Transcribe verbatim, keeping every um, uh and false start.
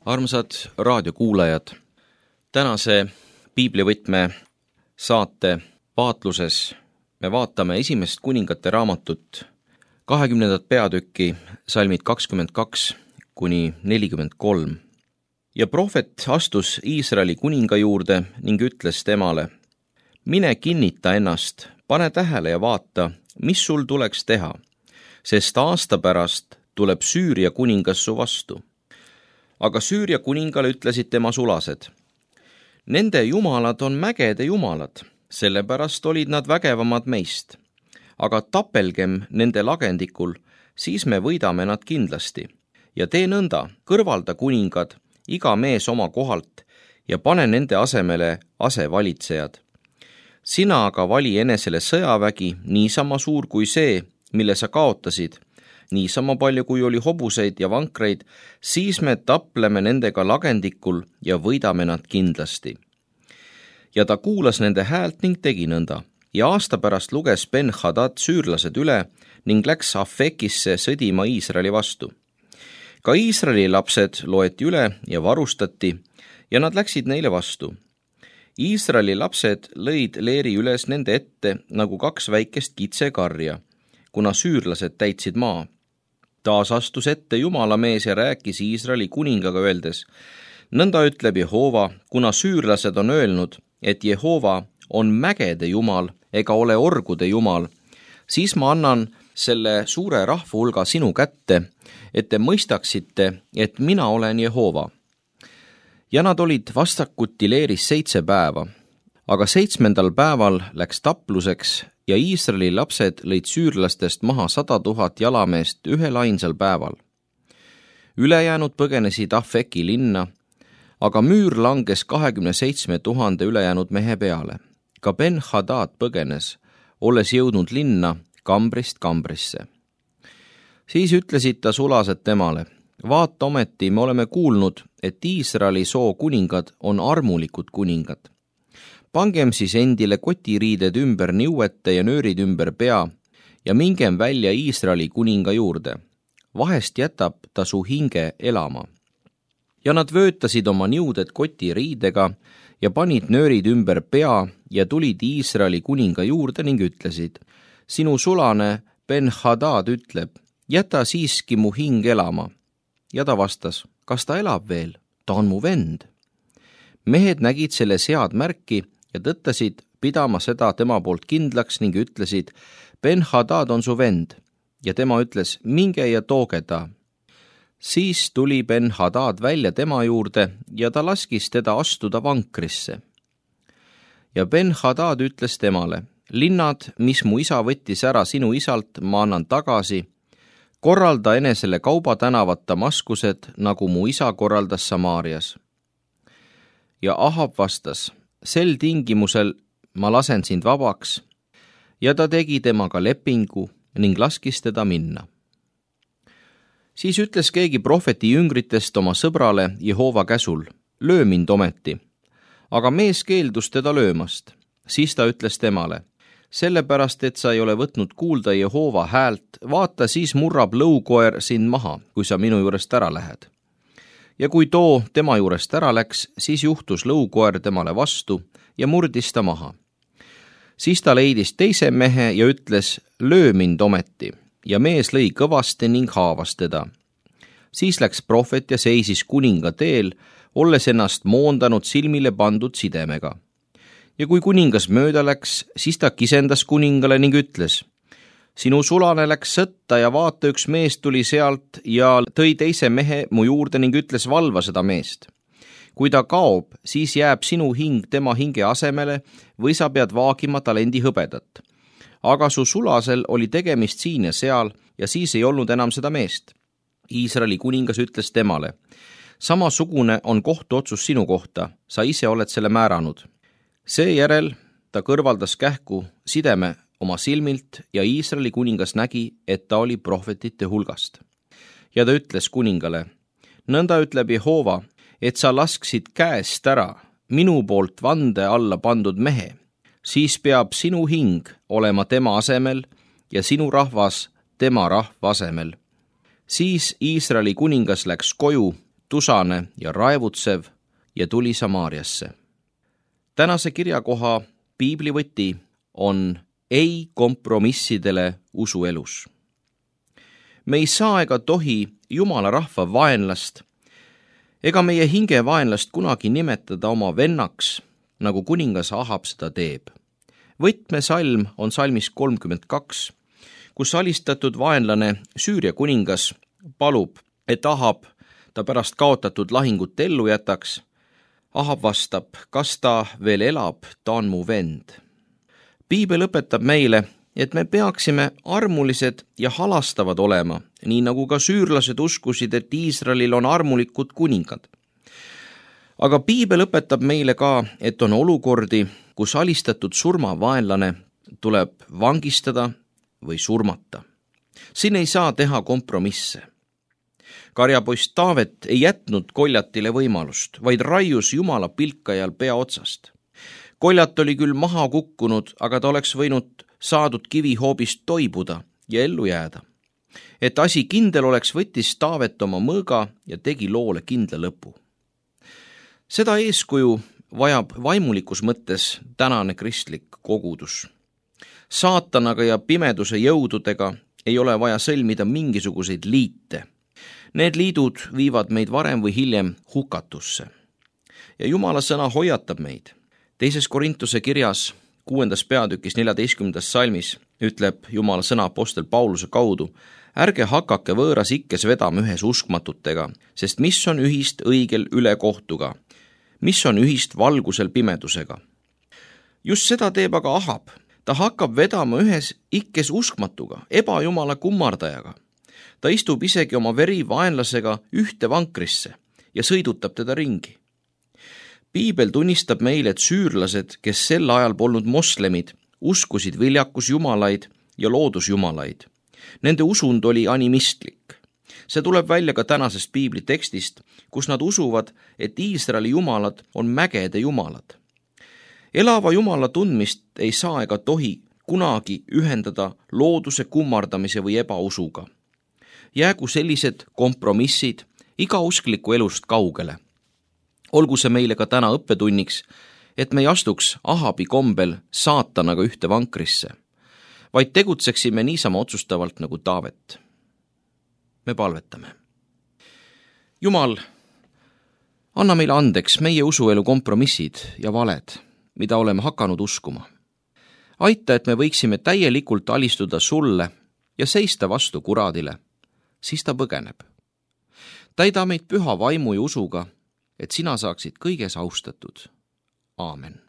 Armsad raadiokuulajad, tänase piiblivõtme saate vaatluses me vaatame esimest kuningate raamatut, kahekümnendat peatükki, salmid kakskümmend kaks kuni nelikümmend kolm. Ja prohvet astus Iisraeli kuninga juurde ning ütles temale: mine kinnita ennast, pane tähele ja vaata, mis sul tuleks teha, sest aasta pärast tuleb Süüria kuningas su vastu. Aga Süüria kuningale ütlesid tema sulased: nende jumalad on mägede jumalad, sellepärast olid nad vägevamad meist. Aga tapelgem nende lagendikul, siis me võidame nad kindlasti. Ja tee nõnda, kõrvalda kuningad, iga mees oma kohalt, ja pane nende asemele asevalitsejad. Sina aga vali enesele sõjavägi, niisama suur kui see, mille sa kaotasid, niisama palju kui oli hobuseid ja vankreid, siis me tapleme nendega lagendikul ja võidame nad kindlasti. Ja ta kuulas nende häält ning tegi nõnda. Ja aasta pärast luges Ben-Hadad süürlased üle ning läks Afekisse sõdima Iisraeli vastu. Ka Iisraeli lapsed loeti üle ja varustati ja nad läksid neile vastu. Iisraeli lapsed lõid leeri üles nende ette nagu kaks väikest kitsekarja, kuna süürlased täitsid maa. Taas astus ette Jumalamees ja rääkis Iisraeli kuningaga öeldes: nõnda ütleb Jehova, kuna süürlased on öelnud, et Jehova on mägede jumal ega ole orgude jumal, siis ma annan selle suure rahva hulga sinu kätte, et te mõistaksite, et mina olen Jehova. Ja nad olid vastakuti leeris seitse päeva, aga seitsmendal päeval läks tapluseks ja Iisraeli lapsed lõid süürlastest maha sada tuhat jalameest ühel ainsal päeval. Ülejäänud põgenesid Afeki linna, aga müür langes kahekümne seitsme tuhande ülejäänud mehe peale. Ka Ben-Hadad põgenes, olles jõudnud linna kambrist kambrisse. Siis ütlesid ta sulased temale: vaata ometi, me oleme kuulnud, et Iisraeli soo kuningad on armulikud kuningad. Pangem siis endile kotiriided ümber niuete ja nöörid ümber pea ja mingem välja Iisraeli kuninga juurde. Vahest jätab ta su hinge elama. Ja nad vöötasid oma niuded kotiriidega ja panid nöörid ümber pea ja tulid Iisraeli kuninga juurde ning ütlesid: sinu sulane Ben-Hadad ütleb, jäta siiski mu hing elama. Ja ta vastas: kas ta elab veel? Ta on mu vend. Mehed nägid selle sead märki ja tõttasid pidama seda tema poolt kindlaks ning ütlesid: Ben-Hadad on su vend. Ja tema ütles: minge ja tooge ta. Siis tuli Ben-Hadad välja tema juurde ja ta laskis teda astuda vankrisse. Ja Ben-Hadad ütles temale: linnad, mis mu isa võttis ära sinu isalt, ma annan tagasi. Korralda enesele kaubatänavat Damaskused, nagu mu isa korraldas Samaarias. Ja Ahab vastas: sel tingimusel ma lasen sind vabaks. Ja ta tegi temaga lepingu ning laskis teda minna. Siis ütles keegi prohveti jüngritest oma sõbrale Jehova käsul: löö mind ometi. Aga mees keeldus teda löömast. Siis ta ütles temale: sellepärast, et sa ei ole võtnud kuulda Jehova häält, vaata, siis murrab lõukoer sind maha, kui sa minu juurest ära lähed. Ja kui too tema juurest ära läks, siis juhtus lõukoer temale vastu ja murdis ta maha. Siis ta leidis teise mehe ja ütles: löö mind ometi. Ja mees lõi kõvasti ning haavas teda. Siis läks prohvet ja seisis kuninga teel, olles ennast moondanud silmile pandud sidemega. Ja kui kuningas mööda läks, siis ta kisendas kuningale ning ütles: sinu sulane läks sõtta ja vaata, üks mees tuli sealt ja tõi teise mehe mu juurde ning ütles: valva seda meest. Kui ta kaob, siis jääb sinu hing tema hinge asemele või sa pead vaagima talendi hõbedat. Aga su sulasel oli tegemist siin ja seal ja siis ei olnud enam seda meest. Iisraeli kuningas ütles temale: samasugune on kohtuotsus sinu kohta, sa ise oled selle määranud. Seejärel ta kõrvaldas kähku sideme oma silmilt ja Iisraeli kuningas nägi, et ta oli prohvetite hulgast. Ja ta ütles kuningale: nõnda ütleb Jehova, et sa lasksid käest ära minu poolt vande alla pandud mehe, siis peab sinu hing olema tema asemel ja sinu rahvas tema rahva asemel. Siis Iisraeli kuningas läks koju, tusane ja raevutsev ja tuli Samaariasse. Tänase kirjakoha piiblivõti on ei kompromissidele usuelus. Me ei saa ega tohi Jumala rahva vaenlast ega meie hinge vaenlast kunagi nimetada oma vennaks, nagu kuningas Ahab seda teeb. Võtmesalm on salmis kolmkümmend kaks, kus alistatud vaenlane Süüria kuningas palub, et Ahab ta pärast kaotatud lahingut ellu jätaks. Ahab vastab, kas ta veel elab, ta on mu vend. Piibel õpetab meile, et me peaksime armulised ja halastavad olema, nii nagu ka süürlased uskusid, et Iisraelil on armulikud kuningad. Aga piibel õpetab meile ka, et on olukordi, kus alistatud surmavaenlane tuleb vangistada või surmata. Siin ei saa teha kompromisse. Karjapoist Taavet ei jätnud Koljatile võimalust, vaid raius Jumala pilkajal pea otsast. Koljat oli küll maha kukkunud, aga ta oleks võinud saadud kivihoobist toibuda ja ellu jääda. Et asi kindel oleks, võttis Taavet oma mõõga ja tegi loole kindla lõpu. Seda eeskuju vajab vaimulikus mõttes tänane kristlik kogudus. Saatanaga ja pimeduse jõududega ei ole vaja sõlmida mingisuguseid liite. Need liidud viivad meid varem või hiljem hukatusse. Ja Jumala sõna hoiatab meid. Teises Korintuse kirjas kuuendas peatükis neljateistkümnendas salmis ütleb Jumala sõna apostel Pauluse kaudu, ärge hakake võõras ikkes vedama ühes uskmatutega, sest mis on ühist õigel ülekohtuga, mis on ühist valgusel pimedusega. Just seda teeb aga Ahab. Ta hakkab vedama ühes ikkes uskmatuga, ebajumala kummardajaga. Ta istub isegi oma verivaenlasega ühte vankrisse ja sõidutab teda ringi. Piibel tunnistab meile, et süürlased, kes sel ajal polnud moslemid, uskusid viljakusjumalaid ja loodusjumalaid. Nende usund oli animistlik. See tuleb välja ka tänasest piibli tekstist, kus nad usuvad, et Iisraeli jumalad on mägede jumalad. Elava Jumala tundmist ei saa ega tohi kunagi ühendada looduse kummardamise või ebausuga. Jäägu sellised kompromissid igauskliku elust kaugele. Olgu see meile ka täna õppetunniks, et me ei astuks Ahabi kombel saatanaga ühte vankrisse, vaid tegutseksime niisama otsustavalt nagu Taavet. Me palvetame. Jumal, anna meile andeks meie usuelu kompromissid ja valed, mida oleme hakanud uskuma. Aita, et me võiksime täielikult alistuda sulle ja seista vastu kuradile, siis ta põgeneb. Täida meid püha vaimu ja usuga, et sina saaksid kõiges austatud. Aamen.